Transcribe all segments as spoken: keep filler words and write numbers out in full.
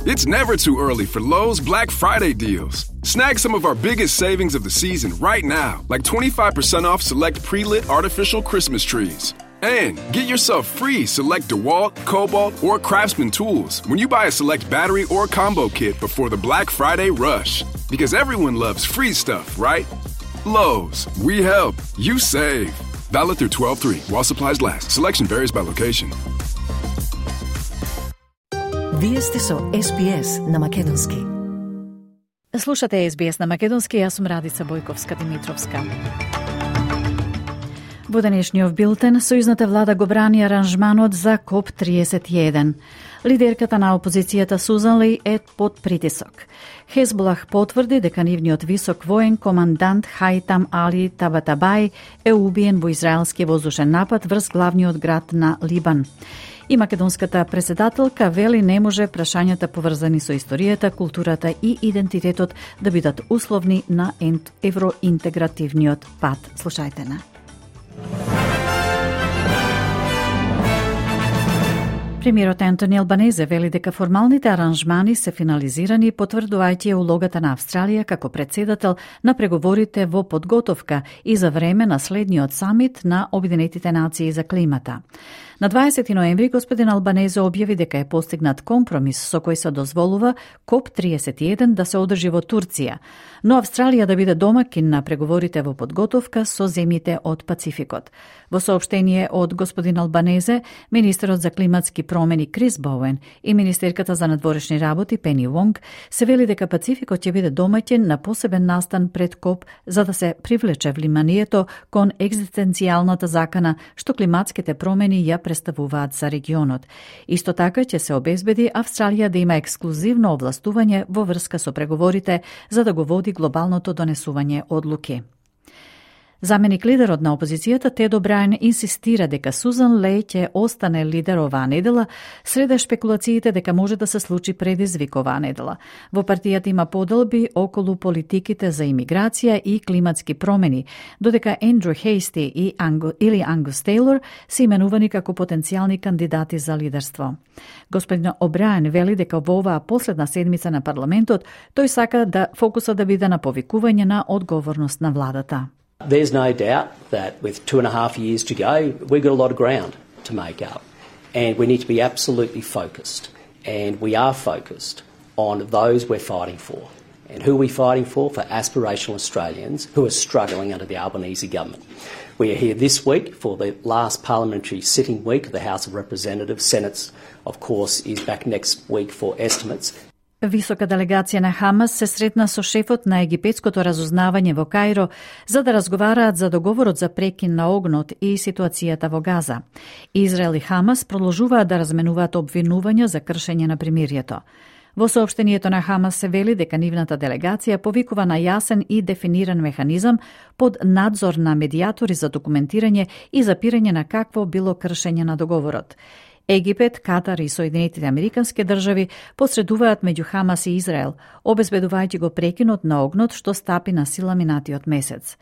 It's never too early for Lowe's Black Friday deals. Snag some of our biggest savings of the season right now, like twenty-five percent off select pre-lit artificial Christmas trees. And get yourself free select DeWalt, Cobalt, or Craftsman tools when you buy a select battery or combo kit before the Black Friday rush. Because everyone loves free stuff, right? Lowe's, we help, you save. Valid through twelve three while supplies last. Selection varies by location. Вие сте со Ес Би Ес на Македонски. Слушате Ес Би Ес на Македонски, јас сум Радица Бојковска-Димитровска. Во денешниот билтен, сојузната влада го брани аранжманот за Коп триесет и еден. Лидерката на опозицијата Сузан Ли е под притисок. Хезболах потврди дека нивниот висок воен командант Хајтам Али Табатабај е убиен во израелски воздушен напад врз главниот град на Либан. И македонската председателка вели не може прашањата поврзани со историјата, културата и идентитетот да бидат условни на евроинтегративниот пат. Слушајте на. Премиерот Антони Албанезе вели дека формалните аранжмани се финализирани, потврдувајќи улогата на Австралија како председател на преговорите во подготовка и за време на следниот самит на Обединетите нации за климата. На дваесети ноември господин Албанезе објави дека е постигнат компромис со кој се дозволува Коп триесет и еден да се одржи во Турција, но Австралија да биде домакин на преговорите во подготовка со земјите од Пацификот. Во соопштение од господин Албанезе, министерот за климатски промени Крис Боуен и министерката за надворешни работи Пени Вонг се вели дека Пацификот ќе биде домаќин на посебен настан пред Коп за да се привлече вниманието кон екзистенцијалната закана што климатските промени ја представуваат за регионот. Исто така ќе се обезбеди Австралија да има ексклузивно овластување во врска со преговорите за да го води глобалното донесување одлуки. Заменик лидерот на опозицијата Тед О'Брајен инсистира дека Сузан Леј ќе остане лидер оваа недела, среде шпекулациите дека може да се случи предизвик оваа недела. Во партијата има поделби околу политиките за имиграција и климатски промени, додека Ендрю Хейсти и Ангу, или Ангус Тейлор се именувани како потенцијални кандидати за лидерство. Господин О'Брајен вели дека во оваа последна седмица на парламентот тој сака да фокусот да биде на повикување на одговорност на владата. There's no doubt that with two and a half years to go, we've got a lot of ground to make up. And we need to be absolutely focused. And we are focused on those we're fighting for. And who are we fighting for? For aspirational Australians who are struggling under the Albanese government. We are here this week for the last parliamentary sitting week of the House of Representatives. Senate's, of course, is back next week for estimates. Висока делегација на Хамас се сретна со шефот на египетското разузнавање во Каиро за да разговараат за договорот за прекин на огнот и ситуацијата во Газа. Израел и Хамас продолжуваат да разменуваат обвинувања за кршење на примирието. Во соопштението на Хамас се вели дека нивната делегација повикува на јасен и дефиниран механизам под надзор на медијатори за документирање и запирање на какво било кршење на договорот. Египет, Катар и Соединетите Американски држави посредуваат меѓу Хамас и Израел, обезбедувајќи го прекинот на огнот што стапи на сила минатиот месец.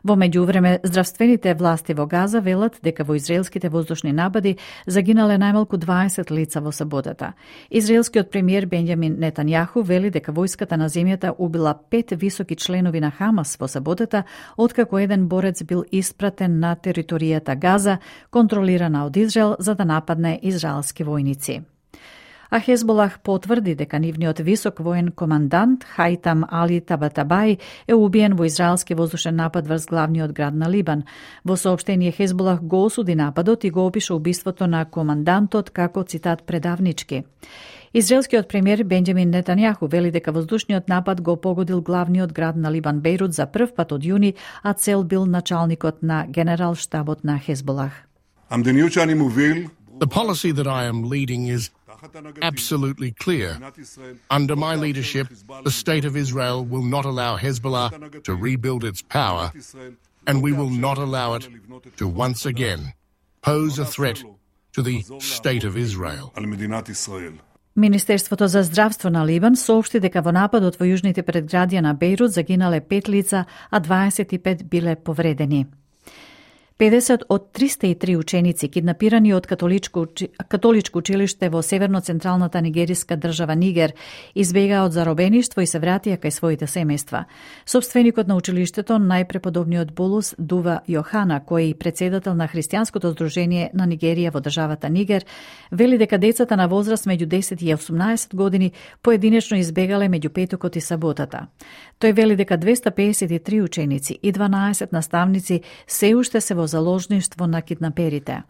Во меѓувреме, здравствените власти во Газа велат дека во израелските воздушни напади загинале најмалку дваесет лица во саботата. Израелскиот премиер Бенјамин Нетањаху вели дека војската на земјата убила пет високи членови на Хамас во саботата, откако еден борец бил испратен на територијата Газа, контролирана од Израел, за да нападне израелски војници. А Хезболах потврди дека нивниот висок воен командант Хајтам Али Табатабај е убиен во израелски воздушен напад врз главниот град на Либан. Во соопштение Хезболах го осуди нападот и го опиша убиството на командантот како, цитат, предавнички. Израелскиот премиер Бенџамин Нетањаху вели дека воздушниот напад го погодил главниот град на Либан Бејрут за прв пат од јуни, а цел бил началникот на генерал штабот на Хезболах. The policy that I am leading is absolutely clear. Under my leadership, the State of Israel will not allow Hezbollah to rebuild its power, and we will not allow it to once again pose a threat to the State of Israel. Министерството за здравство на Либан соопшти дека во нападот во јужните предградија на Бејрут загинале пет лица, а дваесет и пет биле повредени. педесет од триста и три ученици киднапирани од католичко, католичко училиште во северно-централната нигериска држава Нигер избегаа од заробеништво и се вратија кај своите семејства. Собственикот на училиштето, најпреподобниот Булус Дува Јохана, кој е председател на Христијанското здружение на Нигерија во државата Нигер, вели дека децата на возраст меѓу десет и осумнаесет години поединечно избегале меѓу петокот и саботата. Тој вели дека двеста педесет и три ученици и дванаесет наставници се уште се во заложништво на киднаперите.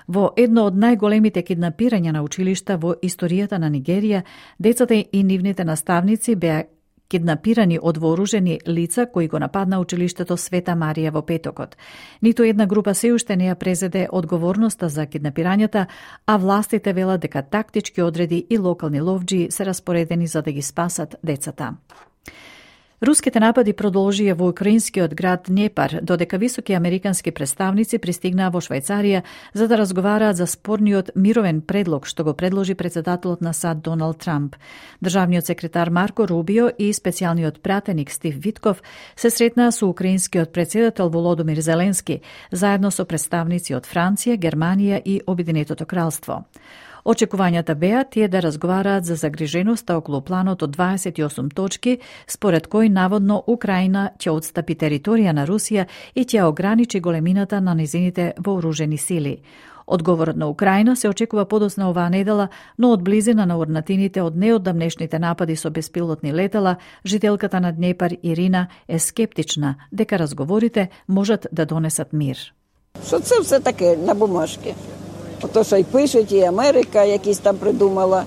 Во едно од најголемите киднапирања на училишта во историјата на Нигерија, децата и нивните наставници беа киднапирани од вооружени лица кои го нападна училиштето Света Марија во петокот. Ниту една група се уште не ја презеде одговорноста за киднапирањата, а властите велат дека тактички одреди и локални ловџии се распоредени за да ги спасат децата. Руските напади продолжија во украинскиот град Днепар, додека високи американски представници пристигнаа во Швајцарија за да разговараат за спорниот мировен предлог што го предложи председателот на САД Доналд Трамп. Државниот секретар Марко Рубио и специјалниот пратеник Стив Витков се сретнаа со украинскиот председател Володомир Зеленски, заедно со представници од Франција, Германија и Обединетото кралство. Очекувањата беа тие да разговараат за загриженоста околу планот од дваесет и осум точки, според кој наводно Украина ќе отстапи територија на Русија и ќе ограничи големината на незините вооружени сили. Одговорот на Украина се очекува подоцна оваа недела, но од близина на урнатините од неодамнешните напади со беспилотни летала, жителката на Днепар Ирина е скептична дека разговорите можат да донесат мир. Що це все таке на бумажке? Ото, що й пишуть, і Америка якісь там придумала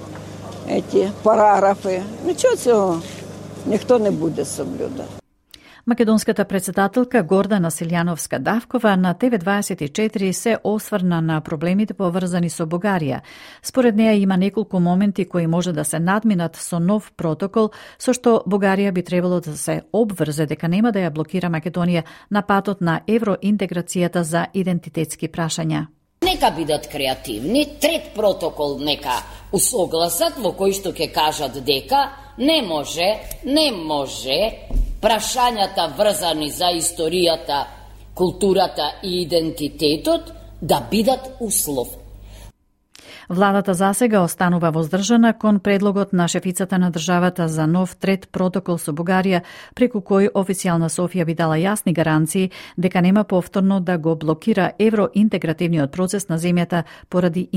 ці параграфи. Нічого цього ніхто не буде соблюдати. Македонската председателка Гордана Силјановска-Давкова на Т В дваесет и четири се осврна на проблемите поврзани со Бугарија. Според неја има неколку моменти кои може да се надминат со нов протокол, со што Бугарија би требало да се обврзе дека нема да ја блокира Македонија на патот на евроинтеграцијата за идентитетски прашања. Нека бидат креативни, трет протокол нека усогласат во кој што ќе кажат дека не може, не може прашањата врзани за историјата, културата и идентитетот да бидат услов. Владата засега останува воздржана кон предлогот на шефицата на државата за нов трет протокол со Бугарија, преку кој официјална Софија би дала јасни гаранции дека нема повторно да го блокира евроинтегративниот процес на земјата поради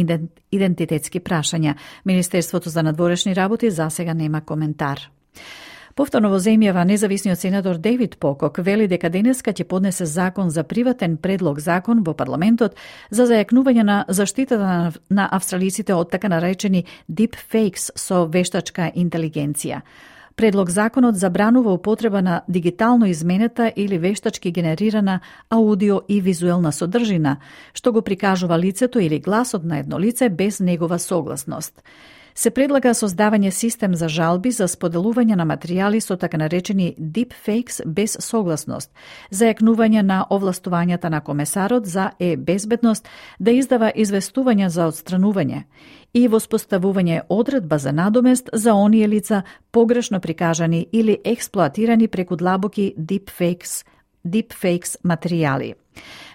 идентитетски прашања. Министерството за надворешни работи засега нема коментар. Повторно во земјава, независниот сенатор Дейвид Покок вели дека денеска ќе поднесе закон за приватен предлог закон во парламентот за зајакнување на заштитата на, на австралиците од така наречени deepfakes со вештачка интелигенција. Предлог законот забранува употреба на дигитално изменета или вештачки генерирана аудио и визуелна содржина, што го прикажува лицето или гласот на едно лице без негова согласност. Се предлага создавање систем за жалби за споделување на материјали со така наречени deepfakes без согласност, зајакнување на овластувањата на комесарот за е-безбедност да издава известувања за отстранување и воспоставување одредба за надомест за оние лица погрешно прикажани или експлоатирани преку длабоки deepfakes, deepfakes материјали.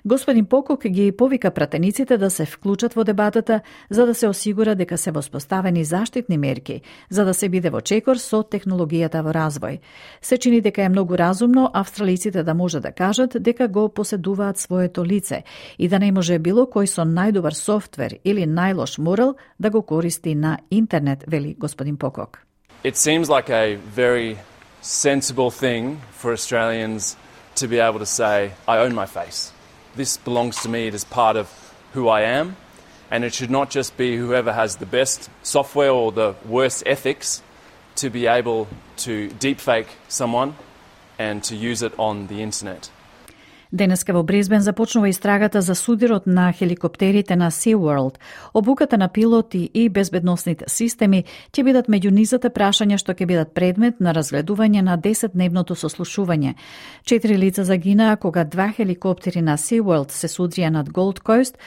Господин Покок ги повика пратениците да се вклучат во дебатата за да се осигура дека се воспоставени заштитни мерки, за да се биде во чекор со технологијата во развој. Се чини дека е многу разумно австралиците да може да кажат дека го поседуваат своето лице и да не може било кој со најдобар софтвер или најлош морал да го користи на интернет, вели господин Покок. It seems like a very sensible thing for Australians to be able to say, I own my face. This belongs to me, it is part of who I am, and it should not just be whoever has the best software or the worst ethics to be able to deepfake someone and to use it on the internet. Денеска во Бризбен започнува истрагата за судирот на хеликоптерите на SeaWorld. Обуката на пилоти и безбедносните системи ќе бидат меѓу низата прашања што ќе бидат предмет на разгледување на десетдневното сослушување. Четири лица загинаа кога два хеликоптери на SeaWorld се судрија над Gold Coast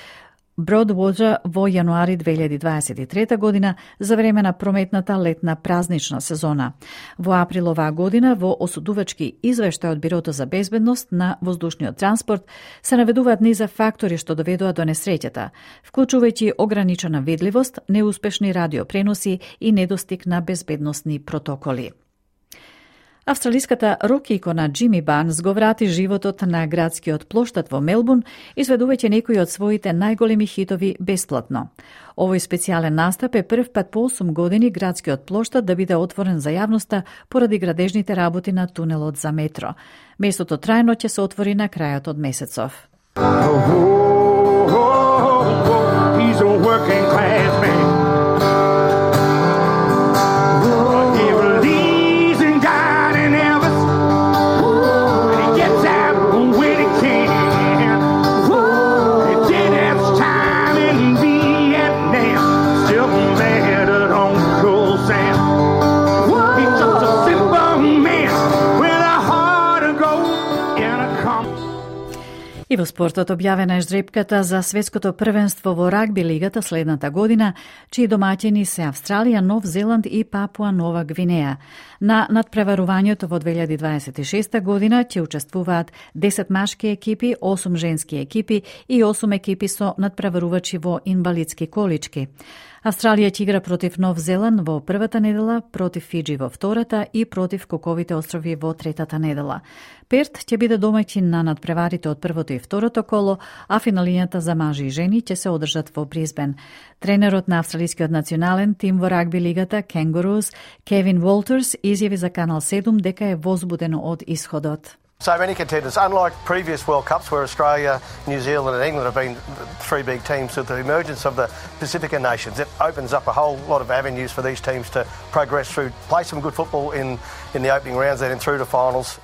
Broadwater во јануари две илјади дваесет и трета година за време на прометната летна празнична сезона. Во април оваа година во осудувачки извештај од Бирото за безбедност на воздушниот транспорт се наведуваат низа фактори што доведоа до несреќата, вклучувајќи ограничена видливост, неуспешни радиопреноси и недостиг на безбедносни протоколи. Австралиската рок икона Джими Барнс го врати животот на градскиот плоштад во Мелбурн, изведувајќи некои од своите најголеми хитови бесплатно. Овој специјален настап е прв пат по осум години градскиот плоштад да биде отворен за јавноста поради градежните работи на тунелот за метро. Местото трајно ќе се отвори на крајот од месецов. He's a working class man. И во спортот објавена е жребката за светското првенство во рагби лигата следната година, чии домаќини се Австралија, Нов Зеланд и Папуа Нова Гвинеја. На надпреварувањето во две илјади дваесет и шеста година ќе учествуваат десет машки екипи, осум женски екипи и осум екипи со надпреварувачи во инвалидски колички. Австралија ќе игра против Нов Зеланд во првата недела, против Фиджи во втората и против Коковите острови во третата недела. Перт ќе биде домаќин на надпреварите од првото и второто коло, а финалињата за мажи и жени ќе се одржат во Брисбен. Тренерот на австралискиот национален тим во рагби лигата Kangaroos, Кевин Волтерс, изјави за Канал седум дека е возбудено од исходот. So many contenders, unlike previous World Cups where Australia, New Zealand and England have been three big teams, with the emergence of the Pacifica nations, it opens up a whole lot of avenues for these teams to progress through, play some good football in, in the opening rounds and then through to finals.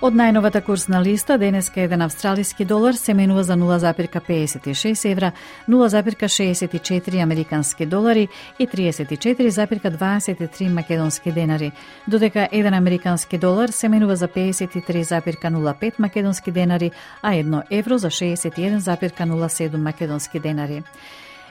Од најновата курсна листа, денеска еден австралиски долар се менува за нула запир педесет и шест евра, нула запир шеесет и четири американски долари и триесет и четири запир дваесет и три македонски денари, додека еден американски долар се менува за педесет и три запир нула пет македонски денари, а едно евро за шеесет и еден запир нула седум македонски денари.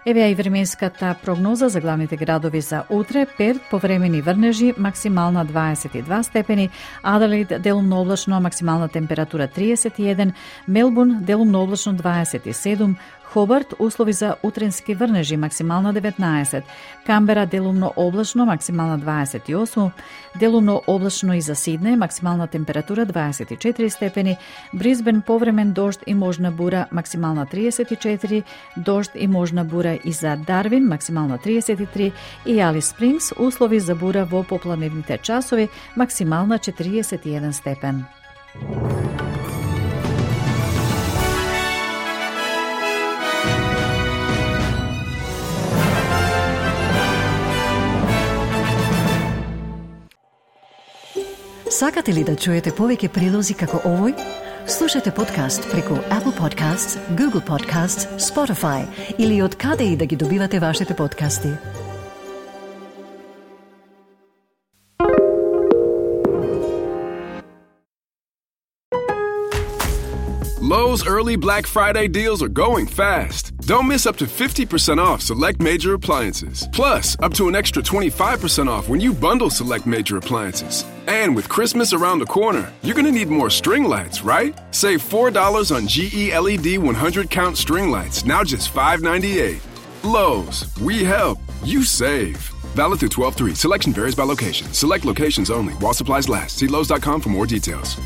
Еве и временската прогноза за главните градови за утре. Перт повремени врнежи, максимална дваесет и два степени, Аделаид делумно облачно, максимална температура триесет и еден, Мелбурн делумно облачно дваесет и седум, Хобарт услови за утренски врнежи, максимална деветнаесет, Камбера делумно облачно, максимална дваесет и осум, делумно облачно и за Сиднеј, максимална температура дваесет и четири степени, Брисбен повремен дожд и можна бура, максимална триесет и четири, дожд и можна бура и за Дарвин, максимална триесет и три, и Алис Спрингс услови за бура во попладневните часови, максимална четириесет и еден степен. Сакате ли да чуете повеќе прилози како овој? Слушате подкаст преку Apple Podcasts, Google Podcasts, Spotify или од каде и да ги добивате вашите подкасти. Lowe's early Black Friday deals are going fast. Don't miss up to fifty percent off select major appliances. Plus, up to an extra twenty-five percent off when you bundle select major appliances. And with Christmas around the corner, you're going to need more string lights, right? Save four dollars on G E L E D one hundred count string lights, now just five ninety-eight. Lowe's, we help, you save. Valid through twelve three. Selection varies by location. Select locations only while supplies last. See Lowe's dot com for more details.